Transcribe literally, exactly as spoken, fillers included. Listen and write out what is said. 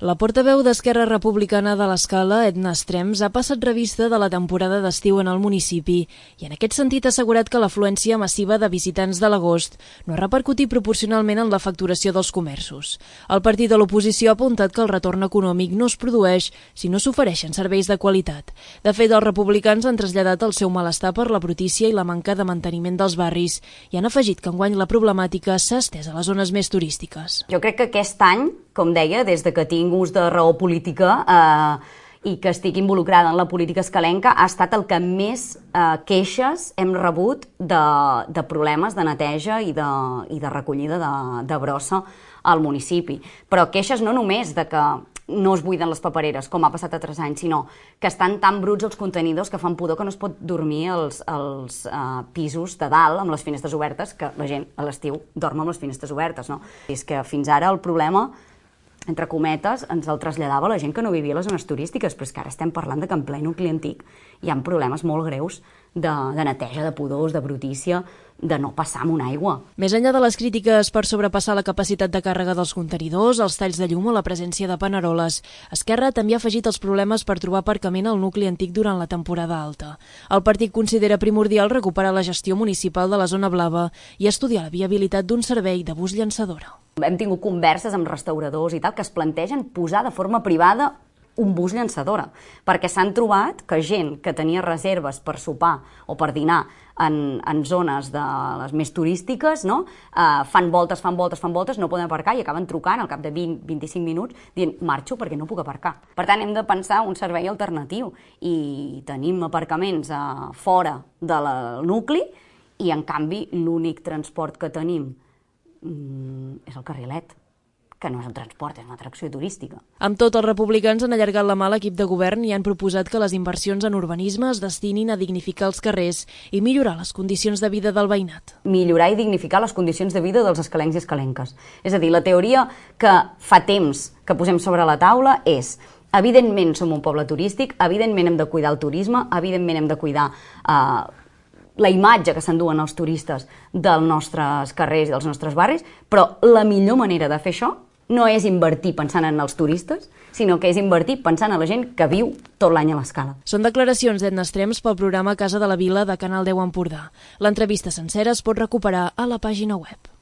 La portaveu d'Esquerra Republicana de l'Escala, Edna Estrems, ha passat revista de la temporada d'estiu en el municipi i en aquest sentit ha assegurat que l'afluència massiva de visitants de l'agost no ha repercutit proporcionalment en la facturació dels comerços. El partit de l'oposició ha apuntat que el retorn econòmic no es produeix si no s'ofereixen serveis de qualitat. De fet, els republicans han traslladat el seu malestar per la brutícia i la manca de manteniment dels barris i han afegit que enguany la problemàtica s'ha estès a les zones més turístiques. Jo crec que aquest any, com deia, des de que tinc ús de raó política eh, i que estic involucrada en la política escalenca, ha estat el que més eh, queixes hem rebut de, de problemes de neteja i de, i de recollida de, de brossa al municipi. Però queixes no només de que no es buiden les papereres, com ha passat altres anys, sinó que estan tan bruts els contenidors que fan pudor que no es pot dormir als, als uh, pisos de dalt amb les finestres obertes, que la gent a l'estiu dorm amb les finestres obertes, no? És que fins ara el problema, entre cometes, ens el traslladava la gent que no vivia a les zones turístiques, però és que ara estem parlant de que en ple nucli antic hi ha problemes molt greus de, de neteja, de pudors, de brutícia, de no passar amb una aigua. Més enllà de les crítiques per sobrepassar la capacitat de càrrega dels contenidors, els talls de llum o la presència de paneroles, Esquerra també ha afegit els problemes per trobar aparcament al nucli antic durant la temporada alta. El partit considera primordial recuperar la gestió municipal de la zona blava i estudiar la viabilitat d'un servei de bus llançadora. Hem tingut converses amb restauradors i tal que es plantegen posar de forma privada un bus llançadora, perquè s'han trobat que gent que tenia reserves per sopar o per dinar en, en zones de les més turístiques, no? uh, fan voltes, fan voltes, fan voltes, no poden aparcar i acaben trucant al cap de vint a vint-i-cinc minuts dient marxo perquè no puc aparcar. Per tant, hem de pensar un servei alternatiu i tenim aparcaments uh, fora del nucli i, en canvi, l'únic transport que tenim mm, és el carrilet, que no és un transport, és una atracció turística. Amb tot, els republicans han allargat la mà a l'equip de govern i han proposat que les inversions en urbanisme es destinin a dignificar els carrers i millorar les condicions de vida del veïnat. Millorar i dignificar les condicions de vida dels escalencs i escalenques. És a dir, la teoria que fa temps que posem sobre la taula és: evidentment som un poble turístic, evidentment hem de cuidar el turisme, evidentment hem de cuidar eh, la imatge que s'enduen els turistes dels nostres carrers i dels nostres barris, però la millor manera de fer això no és invertir pensant en els turistes, sinó que és invertir pensant en la gent que viu tot l'any a l'Escala. Són declaracions d'Edna Estrems pel programa Casa de la Vila de Canal deu Empordà. L'entrevista sencera es pot recuperar a la pàgina web.